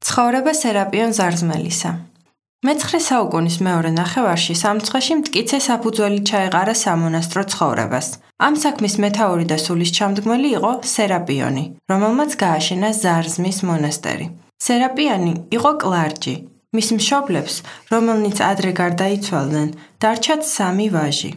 ცხოვრება სერაპიონ ზარზმელისა. მე-9 საუკუნის მეორე ნახევარში სამცხეში მტკიცე საფუძველი ჩაეყარა სამონასტრო ცხოვრებას. ამ საქმის მეთაური და სულისჩამდგმელი იყო სერაპიონი, რომელმაც გააშენა ზარზმის მონასტერი. სერაპიონი იყო კლარჯი. მის მშობლებს, რომელნიც ადრე გარდაიცვალნენ, დარჩათ 3 ვაჟი: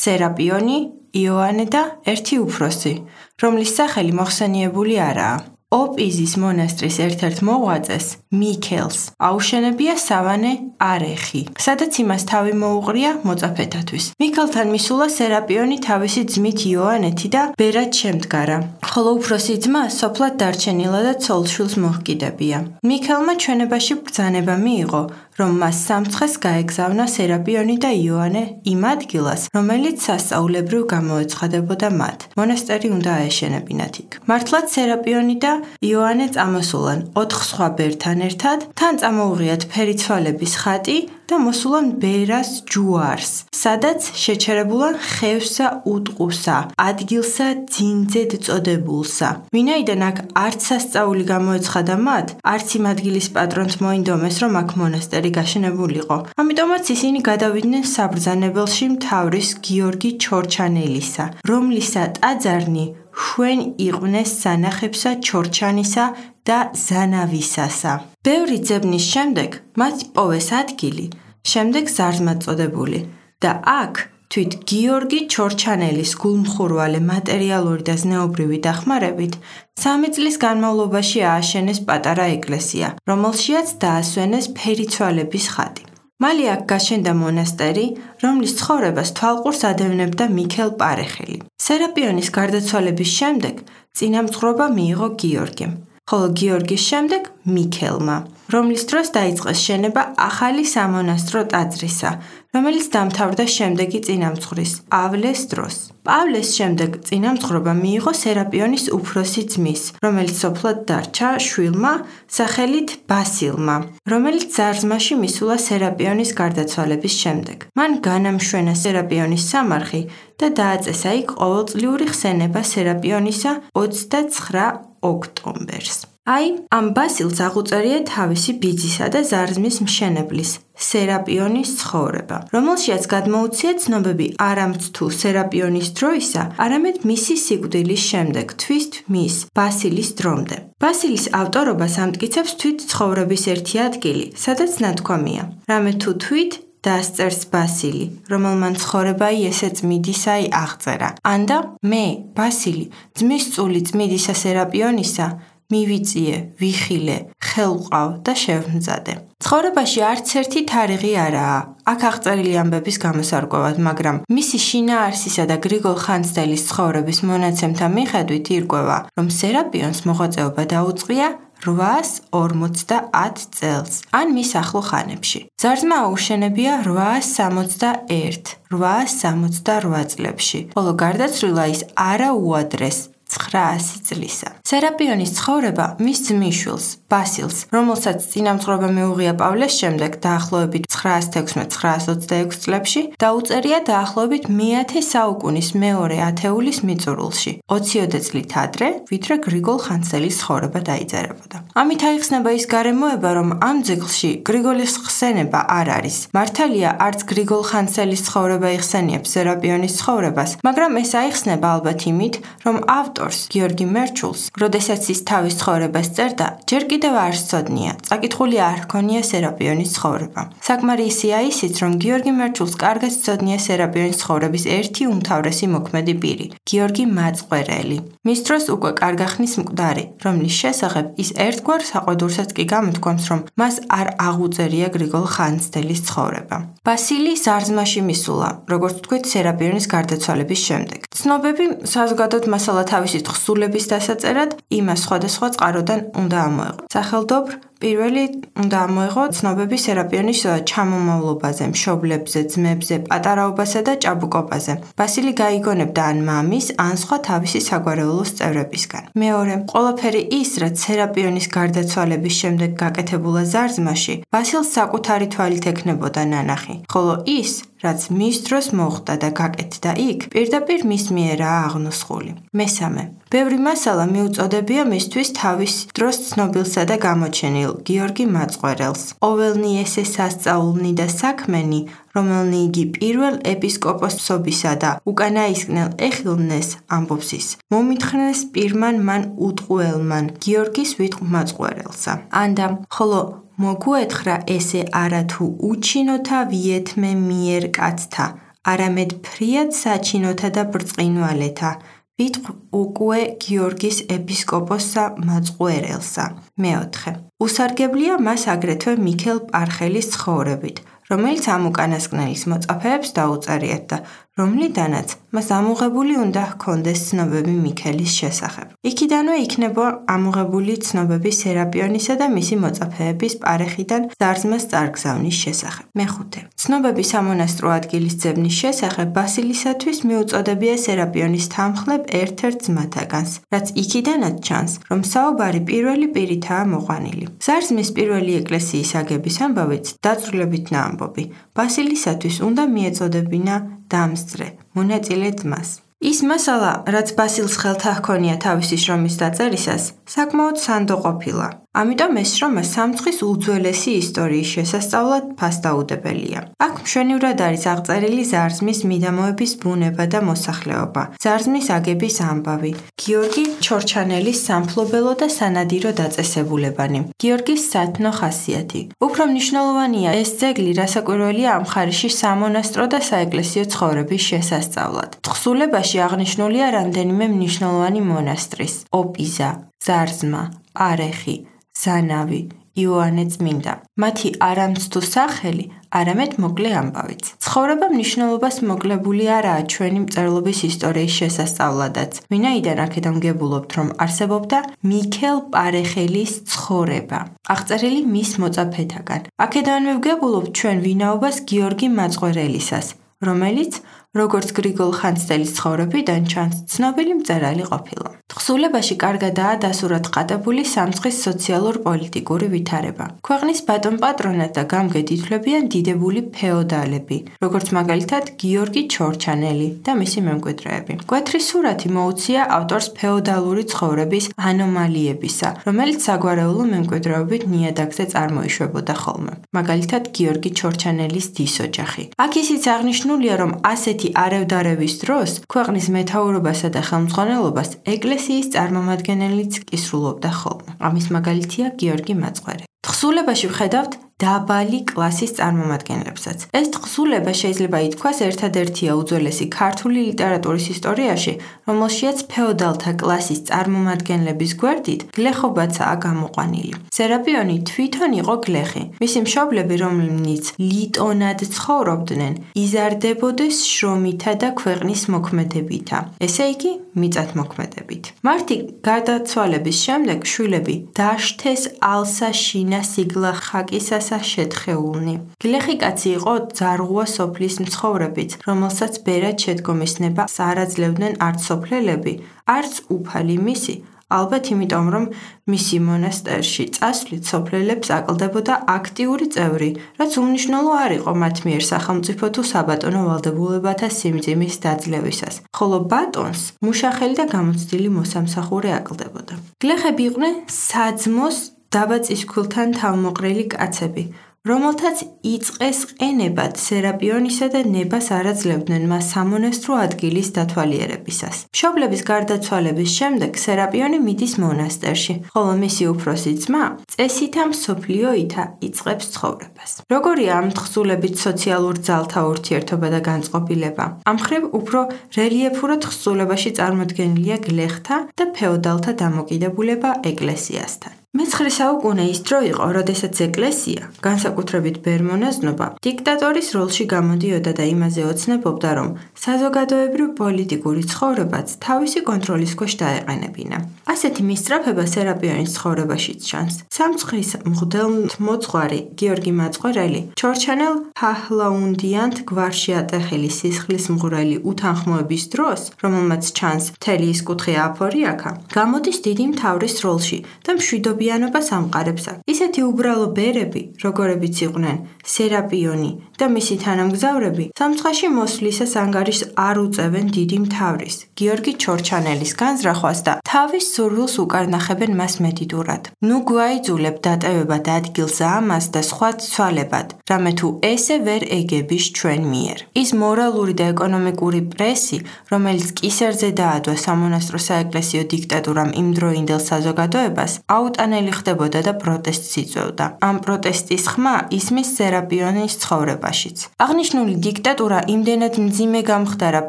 სერაპიონი, იოანე და ერთი უფროსი, რომლის სახელი მოხსენიებული არაა. ოპიზის მონასტრის ერთ-ერთ მოღვაწეს, მიქელს, აუშენებია სავანე არეხი, სადაც იმას თავი მოუყრია მოწაფეთათვის. მიქელთან მისულა სერაპიონი თავისი ძმით იოანეთი და ბერად შემდგარა, ხოლო უფროსი ძმა სოფლად დარჩენილა და ცოლ-შვილს მოჰკიდებია. მიქელმა ჩვენებაში ბრძანება მიიღო, რომ მას სამცხეს გაეგზავნა სერაპიონი და იოანე იმ ადგილას, რომელიც სასწაულებრივ გამოეცხადებოდა მათ. მონასტერი უნდა აეშენებინათ იქ. მართლაც სერაპიონი და იოანე წამოსულან 4 სხვა ბერთან ერთად, თან წამოუღიათ ფერიცვალების ხატი და მოსულან ბერას ჯუარს, სადაც შეჩერებულან ხევსა უტყუსა, ადგილსა ძინძედ წოდებულსა. ვინაიდან აქ არც სასწაული გამოეცხადა მათ, არც იმ ადგილის პატრონს მოინდომეს, რომ აქ მონასტერი გაშენებულიყო. ამიტომაც ისინი გადავიდნენ საბრძანებელში მთავრის გიორგი ჩორჩანელისა, რომლისა ტაძარნი ხვენ იყვნენ სანახებსა ჩორჩანისა და ზანავისასა. ბევრი ძებნის შემდეგ მათ პოვეს ადგილი, შემდეგ ზარზმად წოდებული და აქ თვით გიორგი ჩორჩანელის გულმხურვალე მატერიალური და ზნეობრივი დახმარებით 3 წლის განმავლობაში ააშენეს პატარა ეკლესია, რომელშიაც დაასვენეს ფერიცვალების ხატი. მალე აქ გაშენდა მონასტერი, რომლის ცხოვრებას თვალყურს ადევნებდა მიქელ პარეხელი. სერაპიონის გარდაცვალების შემდეგ წინამძღვრობა მიიღო გიორგიმ, ხოლო გიორგის შემდეგ მიქელმა, რომლის დროს დაიწყეს შენება ახალი სამონასტრო ტაძრისა, რომელიც დამთავრდა შემდეგი წინამძღვრის, პავლეს დროს. პავლეს შემდეგ წინამძღვრობა მიიღო სერაპიონის უფროსი ძმის, რომელიც სოფლად დარჩა შვილმა, სახელით ბასილმა, რომელიც ზარზმაში მისულა სერაპიონის გარდაცვალების შემდეგ. მან განამშვენა სერაპიონის სამარხი და დააწესა იქ ყოველწლიური ხსენება სერაპიონისა 29 ოქტომბერს. ამ ბასილს აღუწერია თავისი ბიძისა და ზარზმის მშენებლის, სერაპიონის ცხოვრება, რომელშიაც გადმოუცია ცნობები არამც თუ სერაპიონის დროისა, არამედ მისი სიკვდილის შემდეგ, თვის მის, ბასილის დრომდე. ბასილის ავტორობას ამტკიცებს თვით ცხოვრების ერთი ადგილი, სადაც ნათქვამია: რამე თუ თვით დასწერს ბასილი, რომელმან ცხოვრებაი ესე წმიდისაი აღწერა. ანდა მე, ბასილი, ძმის წული წმიდისა სერაპიონისა, მივიწიე, ვიხილე, ხელვყავ და შევმზადე. ცხოვრებაში არც ერთი თარიღი არაა, აქ აღწერილი ამბების გამოსარკვევად, მაგრამ მისი შინაარსისა და გრიგოლ ხანძთელის ცხოვრების მონაცემთა მიხედვით ირკვევა, რომ სერაპიონს მოღვაწეობა დაუწყია 850 წელს, ან მის ახლო ხანებში. ზარზმა აუშენებია 868 წლებში, ხოლო გარდაცვლილა ის არა უადრეს 900 წლისა. სერაპიონის ცხოვრება მის ძმისშვილს, ბასილს, რომელსაც წინამძღვრობა მიუღია პავლეს შემდეგ დაახლოებით 916-926 წლებში, დაუწერია დაახლოებით მე-10 საუკუნის მეორე ათეულის მიწურულში, 20 წლით ადრე, ვიდრე გრიგოლ ხანძთელის ცხოვრება დაიწერებოდა. ამით აიხსნება ის გარემოება, რომ ამ ძეგლში გრიგოლის ხსენება არ არის. მართალია, არც გრიგოლ ხანძთელის ცხოვრება იხსენიებს სერაპიონის ცხოვრებას, მაგრამ ეს აიხსნება ალბათ იმით, რომ ავტორს, გიორგი მერჩულს, როდესაც ის თავის ცხოვრებას წერდა, ჯერ კიდევ არ სცოდნია, წაკითხული არ ჰქონია სერაპიონის ცხოვრება. საკმარისია ისიც, რომ გიორგი მერჩულს კარგად სცოდნია სერაპიონის ცხოვრების ერთი უმთავრესი მოქმედი პირი, გიორგი მაწყვერელი. მის დროს უკვე კარგახნის მკვდარი, რომლის შესახებ ის ერთგვარ საყვედურსაც კი გამოთქვამს, რომ მას არ აღუწერია გრიგოლ ხანძთელის ცხოვრება. ბასილი ზარზმაში მისულა, როგორც ვთქვით, სერაპიონის გარდაცვალების შემდეგ. ცნობები საზოგადოდ მასალა თავისი თხზულების დასაწერად იმას სხვადასხვა წყაროდან უნდა ამოეღო. სახელდობრ პირველი უნდა ამოეღო ცნობები სერაპიონის ჩამომავლობაზე, მშობლებზე, ძმებზე, პატარაობასა და ჭაბუკობაზე. ბასილი გაიგონებდა ან მამის, ან სხვა თავისი საგვარეულოს წევრებისგან. მეორე, ყველაფერი ის, რაც სერაპიონის გარდაცვალების შემდეგ გაკეთებულა ზარზმაში, ბასილს საკუთარი თვალით ექნებოდა ნანახი, ხოლო ის, რაც მის დროს მოხდა და გაკეთდა იქ, პირდაპირ მის მიერაა აღნუსხული. მესამე. ბევრი მასალა მიუწოდებია მისთვის თავის დროს ცნობილსა და გამოჩენილ გიორგი მაწყვერელს. ყოველნი ესე სასწაულნი და საქმენი, რომელნი იგი პირველ ეპისკოპოსობისა და უკანაისკნელ ეხილნეს ამბობს ის. მომითხრეს პირმან მან უტყუელმან გიორგის ვიტყ მაწყვერელსა. ანდა, ხოლო მოგუეთხრა ესე არათუ უჩინოთა ვიეთმე მიერ კაცთა, არამედ ფრიად საჩინოთა და ბრწყინვალეთა, ვიტყ უკუე გიორგის ეპისკოპოსსა მაწყვერელსა. მეოთხე. უსარგებლია მას აგრეთვე მიქელ პარხელის ცხოვრებით, რომელიც ამ უკანასკნელის მოწაფეებს დაუწერიათ და რომლიდანაც მას ამოღებული უნდა ჰქონდეს ცნობები მიქელის შესახებ. იქიდანვე იქნება ამოღებული ცნობები სერაპიონისა და მისი მოწაფეების პარეხიდან ზარზმას წარგზავნის შესახებ. მეხუთე. ცნობები სამონასტრო ადგილის ძებნის შესახებ ბასილისათვის მიუწოდებია სერაპიონის თანმხლებ ერთ-ერთ ძმათაგანს, რაც იქიდანაც ჩანს, რომ საუბარი პირველი პირითაა მოყვანილი. ზარზმის პირველი ეკლესიის აგების ამბავიც დაწვრილებითნა ამბობი. ბასილისათვის უნდა მიეწოდებინა დამსწრე, მონაწილე ძმას. ის მასალა, რაც ბასილს ხელთა ჰქონია თავისი შრომის დაწერისას, საკმაოდ სანდო ყოფილა. ამიტომ ეს შრომა სამცხის უძველესი ისტორიის შესასწავლად ფასდაუდებელია. აქ მშვენივრად არის აღწერილი ზარზმის მიდამოების ბუნება და მოსახლეობა, ზარზმის აგების ამბავი, გიორგი ჩორჩანელის სამფლობელო და სანადირო დაწესებულებანი, გიორგის სათნო ხასიათი. უფრო მნიშვნელოვანია ეს ძეგლი, რასაკვირველია ამ ხარისში სამონასტრო და საეკლესიო ცხოვრების შესასწავლად. თხზულებაში აღნიშნულია რამდენიმე მნიშვნელოვანი მონასტრის: ოპიზა, ზარზმა, არეხი, ზანავი, იოანე წმინდა. მათი არამცდუ სახელი, არამედ მოკლე ამბავიც. ცხოვრება მნიშვნელობას მოკლებული არაა ჩვენი მწერლობის ისტორიის შესასწავლადაც, ვინაიდან აქედან ვგებულობთ, რომ არსებობდა მიქელ პარეხელის ცხოვრება, აღწერილი მის მოწაფეთაგან. აქედანვე ვგებულობთ ჩვენ ვინაობას გიორგი მაწყვერელისას, რომელიც როგორც გრიგოლ ხანძთელის ცხოვრებიდან ჩანს, ცნობილი მწერალი ყოფილა. თხზულებაში კარგადაა დასურათყადებული სამცხის სოციალურ-პოლიტიკური ვითარება. ქვეყნის ბატონ-პატრონად და გამგედ ითვლებიან დიდებული ფეოდალები, როგორც მაგალითად გიორგი ჩორჩანელი და მისი მემკვიდრეები. მკვეთრი სურათი მოუცია ავტორს ფეოდალური ცხოვრების ანომალიებისა, რომელიც საგვარეულო მემკვიდრეობით ნიადაგზე წარმოიშვებოდა ხოლმე. მაგალითად გიორგი ჩორჩანელის დის ოჯახი. აქ ისიც აღნიშნულია, რომ ასეთი არევდარევის დროს ქვეყნის მეთაურობასა და ხელმძღვანელობას ეკლესიის წარმომადგენელიც კისრულობდა ხოლმე. ამის მაგალითია გიორგი მაწყვერი. თხზულებაში ვხედავთ დაბალი კლასის წარმომადგენლებსაც. ეს თხზულება შეიძლება ითქვას ერთადერთია უძველესი ქართული ლიტერატურის ისტორიაში, რომელშიაც ფეოდალთა კლასის წარმომადგენლების გვერდით გლეხობაცაა გამოყვანილი. სერაპიონი თვითონ იყო გლეხი. მისი მშობლები, რომლებიც ლიტონად ცხოვრობდნენ, იზარდებოდეს შრომითა და ქვეყნის მოქმედებითა, ესე იგი მიწათმოქმედებით. მართი გარდაცვალების შემდეგ შვილები დაშთეს ალსა შინა სიგლა ხაკისას შეთხეულნი. გლეხი კაცი იყო ძარღვა სოფლის მცხოვრებიც, რომელსაც ბერად შედგომის ნებას არ აძლევდნენ არც სოფლელები, არც უფალი მისი, ალბათ იმიტომ, რომ მისი მონასტერში წასვლით სოფლელებს აკლდებოდა აქტიური წევრი, რაც უმნიშვნელო არ იყო მათ მიერ სახელმწიფო თუ საბატონო ვალდებულებათა სიმძიმის დაძლევისას, ხოლო ბატონს მუშახელი და გამოცდილი მოსამსახურე აკლდებოდა. გლეხები იყვნენ საძმოს დაბაწისქვილთან თავმოყრილი კაცები, რომელთაც იწყეს ყენებად სერაპიონისა და ნებას არ აძლევდნენ მას სამონასტრო ადგილის დათვალიერებისას. მშობლების გარდაცვალების შემდეგ სერაპიონი მიდის მონასტერში, ხოლო მისი უფროსი ძმა წესითა მსოფლიოითა იწყებს ცხოვრებას. როგორია ამ თხზულებით სოციალურ ძალთა ურთიერთობა და განწყობილება? ამ მხრივ უფრო რელიეფურად თხზულებაში წარმოდგენილია გლეხთა და ფეოდალთა დამოკიდებულება ეკლესიასთან. მე-9 საუკუნე ის დრო იყო, როდესაც ეკლესია, განსაკუთრებით ბერმონაზნობა, დიქტატორის როლში გამოდიოდა და იმაზე ოცნებობდა, რომ საზოგადოებრივ პოლიტიკური ცხოვრებაც თავისი კონტროლის ქვეშ დაეყენებინა. ასეთი მისწრაფება სერაპიონის ცხოვრებაშიც ჩანს. სამცხის მღვდელმოძღვარი გიორგი მაწყვერელი ჩორჩანელ ფაჰლაუნდიანთ გვარში ატეხილი სისხლის მღვრელი უთანხმოების დროს, რომელმაც ჩანს მთელი ის კუთხე აფორიაქა, გამოდის დიდი მთავრის როლში და მშვიდობიან მოგვიანობას ამყარებსა. ისეთი უბრალო ბერები, როგორებიც იყვნენ სერაპიონი და მისი თანამგზავრები, სამცხაში მოსვლისას ანგარიშს არ უწევენ დიდი მთავრის, გიორგი ჩორჩანელის განზრახვას და თავის სურვილს უკარნახებენ მას მედიდურად. ნუ გვაიძულებ დატევებად ადგილს ამას და სხვა ცვალებად, რამე თუ ესე ვერ ეგების ჩვენ მიერ. ის მორალური და ეკონომიკური პრესი, რომელიც კისერზე დაადვა სამონასტრო საეკლესიო დიქტატურამ იმდროინდელ საზოგადოებას, აუტანელი ხდებოდა და პროტესტს იწვევდა. ამ პროტესტის ხმა ისმის სერაპიონის ცხოვრებაშიც. აღნიშნული დიქტატურა იმდენად მძიმე გამხდარა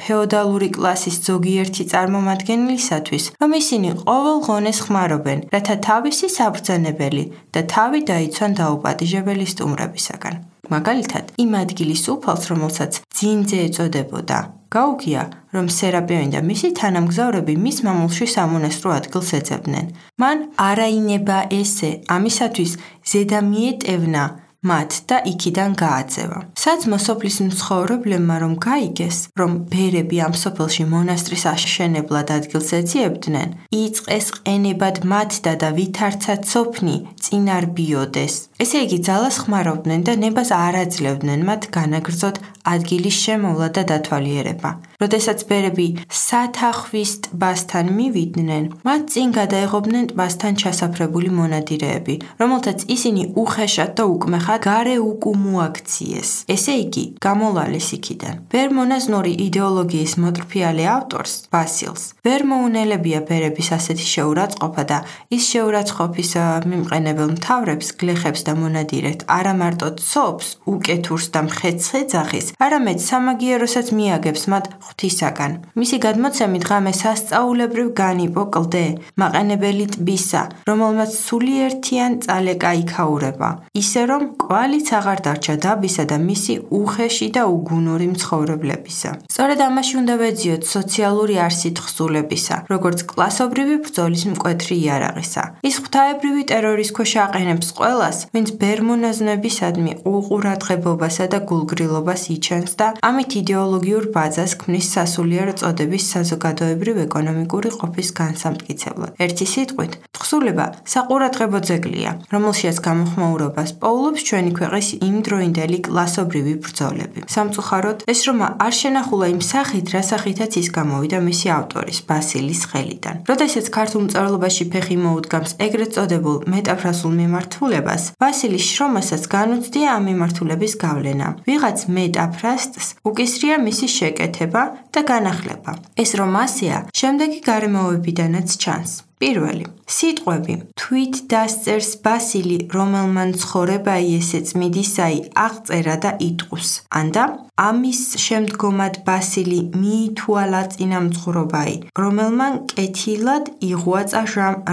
ფეოდალური კლასის ზოგიერთი წარმომადგენლისათვის, რომ ისინი ყოველ ღონეს ხმარობენ, რათა თავისი საბრძანებელი და თავი დაიცვან დაუპატიჟებელი სტუმრებისაგან. მაგალითად, იმ ადგილის უფალს, რომელსაც ძინძე ეწოდებოდა, გაუგია, რომ სერაპიონი და მისი თანამგზავრები მის მამულში სამონასტრო ადგილს ეძებდნენ. მან არაინება ესე, ამისათვის ზედა მიეტევნა მათ და იქიდან გააძევა. საძმო სოფლის მცხოვრებლებმა რომ გაიგეს, რომ ბერები ამ სოფელში მონასტრის აშენებლად ადგილს ეძიებდნენ, იწყეს ყენებად მათდა და ვითარცა ცოფნი წინარბიოდეს. ესე იგი ძალას ხმარობდნენ და ნებას არ აძლევდნენ მათ განაგრძოთ ადგილის შემოვლა და დათვალიერება. როდესაც ბერები სათახვის ტბასთან მივიდნენ, მათ წინ გადაეღობნენ ტბასთან ჩასაფრებული მონადირეები, რომელთაც ისინი უხეშად და უკმეხად გარე უკუმოაქციეს. ესე იგი, გამოლალეს იქიდან. ბერ-მონაზნური იდეოლოგიის მოტრფიალე ავტორს, ბასილს, ვერ მოუნელებია ბერების ასეთი შეურაცხყოფა და ის შეურაცხყოფის მიმყენებელ მთავრებს, გლეხებს და მონადირეთ არა მარტო ცობს, უკეთურს და მხეცხედზახის, არამედ სამაგიეროსაც მიაგებს მათ ღვთისაგან. მისი გადმოცემით ღამე სასწაულებრივ განიპო კლდე, მაყენებელი ტბისა, რომელმაც სულიერთიან წალეკა იქაურება, ისე რომ კვალიც აღარ დარჩა დაბისა და მისი უხეში და უგუნური მცხოვრებლებისა. სწორედ ამაში უნდა ვეძიოთ სოციალური არსი თხზულებისა, როგორც კლასობრივი ბრძოლის მკვეთრი იარაღისა. ის ღვთაებრივი ტერორის ქვეშ აყენებს ყველას, ვინც ბერ-მონაზვნებისადმი უყურადღებობასა და გულგრილობას იჩენს და ამით იდეოლოგიურ ბაძას ქმნის სასულიერო წოდების საზოგადოებრივ ეკონომიკური ყოფის განსამტკიცებლად. ერთი სიტყვით, თხზულება საყურადღებო ძეგლია, რომელშიაც გამოხმაურობას პოულობს ჩვენი ქვეყნის იმდროინდელი კლასობრივი ბრძოლები. სამწუხაროდ, ეს რომა არ შენახულა იმ სახით, რა სახითაც ის გამოვიდა მისი ავტორის, ბასილის ხელიდან. როდესაც ქართულ მწერლობაში ფეხი მოუდგამს ეგრეთ წოდებულ მეტაფრასულ მიმართულებას, ბასილის შრომასაც განუცდია ამ მიმართულების გავლენა. ვიღაც მეტაფრასტს უკისრია მისი შეკეთება და განახლება. ეს რომ ასეა, შემდეგი გარემოებიდანაც ჩანს. პირველი. სიტყვები თვით დასწერს ბასილი, რომელმან ცხოვრებაი ესე წმიდისაი აღწერა და იტყუს. ანდა ამის შემდგომად ბასილი მიითვალა წინამძღვრობაი, რომელმან კეთილად იღვაწა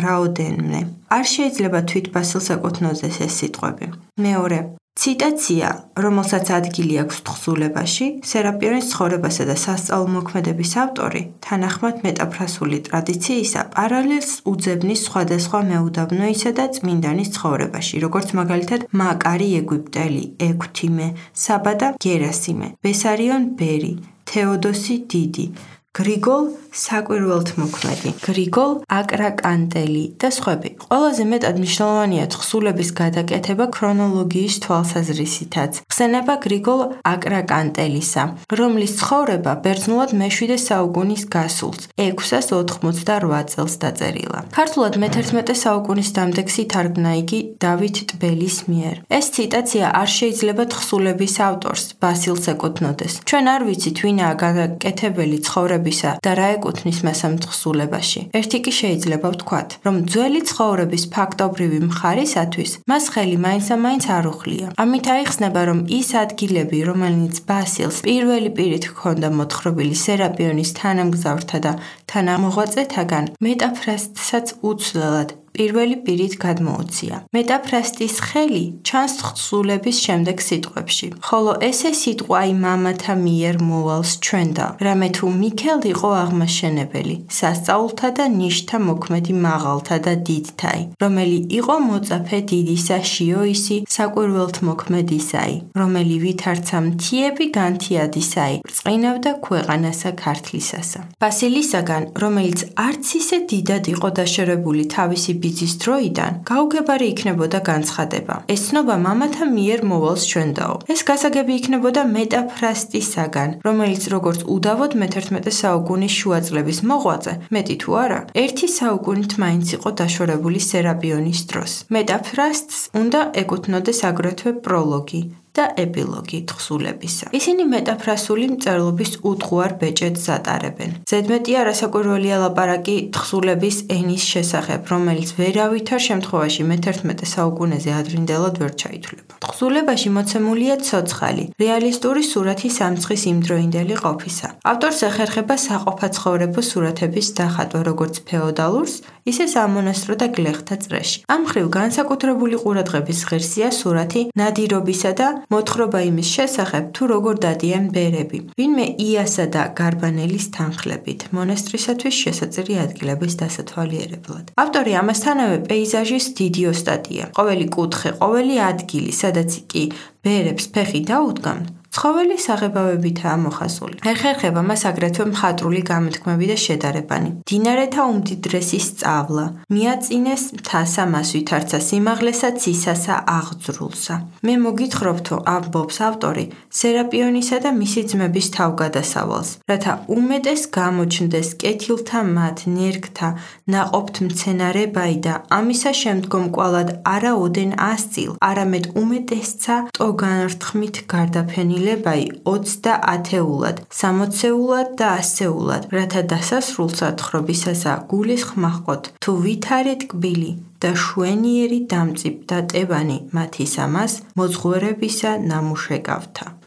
რაოდენმე. არ შეიძლება თვით ბასილს ეკუთვნოდეს ეს სიტყვები. მეორე. ციტაცია, რომელსაც ადგილი აქვს თხზულებაში, სერაპიონის ცხოვრებასა და სასწაულმოქმედების ავტორი, თანახმად მეტაფრასული ტრადიციისა, პარალელს უძებნის სხვადასხვა მეუდაბნოისა და წმინდანის ცხოვრებაში, როგორც მაგალითად მაკარი ეგვიპტელი, ექვთიმე, საბა და გერასიმე, ბესარიონ ბერი, თეოდოსი დიდი, გრიგოლ საკვირველთმოქმედი, გრიგოლ აკრაკანტელი და სხვები. ყველაზე მეტად მნიშვნელოვანია თხზულების გადაკეთება ქრონოლოგიის თვალსაზრისითაც. ხსენება გრიგოლ აკრაკანტელისა, რომლის ცხოვრება ბერძნულად მე-7 საუკუნის გასულს, 688 წელს დაწერილა. ქართულად მე-11 საუკუნის დამდეგს ითარგმნა იგი დავით ტბელის მიერ. ეს ციტაცია არ შეიძლება თხზულების ავტორს, ბასილს ეკუთვნოდეს. ჩვენ არ ვიცით, ვინაა გადაკეთებელი ცხოვრებისა და რა ეკუთვნის მას ამ თხზულებაში. ერთი კი შეიძლება ვთქვათ, რომ ძველი ცხოვრების ფაქტობრივი მხარისათვის მას ხელი მაინც არ უხლია. ამით აიხსნება, რომ ის ადგილები, რომელიც ბასილს პირველი პირით ჰქონდა მოთხრობილი სერაპიონის თანამგზავრთა და თანამოღვაწეთაგან, მეტაფრასტსაც უცვლელად პირველი პირით გადმოუცია. მეტაფრასტის ხელი ჩანს თხზულების შემდეგ სიტყვებში, ხოლო ესე სიტყვა მამათა მიერ მოვალს ჩვენდა, რამე თუ მიქელ იყო აღმაშენებელი, სასწაულთა და ნიშთა მოქმედი მაღალთა და დიდთაი, რომელი იყო მოწაფე დიდისა შიოისი საკვირველთმოქმედისაი, რომელი ვითარცა მთიები განთიადისაი, ბრწყინავდა ქვეყანასა ქართლისასა. ბასილისაგან, რომელიც არც ისე დიდად იყო დაშორებული თავისი ბიძის დროიდან გაუგებარი იქნებოდა განცხადება. ეს ცნობა მამათა მიერ მოვალს ჩვენდაო. ეს გასაგები იქნებოდა მეტაფრასტისაგან, რომელიც როგორც უდავოდ მე-11 საუკუნის შუა წლების მოღვაწე, მეტი თუ არა, ერთი საუკუნით მაინც იყო დაშორებული სერაპიონის დროს. მეტაფრასტს უნდა ეკუთვნოდეს აგრეთვე პროლოგი და ეპილოგი თხზულებისა. ისინი მეტაფრასული მწერლობის უთხუარ ბეჭედს ატარებენ. ზედმეტია რასაკვირველია ლაპარაკი თხზულების ენის შესახებ, რომელიც ვერავითარ შემთხვევაში მე-11 საუკუნეზე ადრინდელად ვერ ჩაითვლება. თხზულებაში მოცემულია ცოცხალი, რეალისტური სურათი სამცხის იმდროინდელი ყოფისა. ავტორს ეხერხება საყოფაცხოვრებო სურათების დახატვა როგორც ფეოდალურს, ისე სამონასტრო და გლეხთა წრეში. ამ მხრივ განსაკუთრებული ყურადღების ღირსია სურათი ნადირობისა და მოთხრობა იმის შესახებ, თუ როგორ დადიან ბერები, ვინმე იასა და გარბანელის თანხლებით, მონასტრისათვის შესაწირი ადგილების დასათვალიერებლად. ავტორი ამასთანავე პეიზაჟის დიდი ოსტატია. ყოველი კუთხე, ყოველი ადგილი, სადაც კი ბერებს ფეხი დაუდგამთ, ცხოველი საღებავებითაა მოხაზული. ეხერხება მას აგრეთვე მხატვრული გამოთქმები და შედარებანი. მდინარეთა უმდიდრესი სწავლა, მიაწინეს მთასა მას ვითარცა სიმაღლესა ცისასა აღძრულსა. მე მოგითხრობთო, ამბობს ავტორი, სერაპიონისა და მისი ძმების თავგადასავალს, რათა უმეტეს გამოჩნდეს კეთილთა მათ ნერგთა ნაყოფთ მცენარებაი და ამისა შემდგომ კვალად არა ოდენ ასწილ, არამედ უმეტესცა ტოგანრთხმით გარდაფენილი 20 და 10-ულად, 60-ულად და 100-ულად, რათა დასასრულსა თხრობისასა გულისხმა ჰყოთ, თუ ვითარი ტკბილი და შვენიერი დამწიფ და ტებანი მათის ამას მოძღვერებისა ნამუშეკავთა.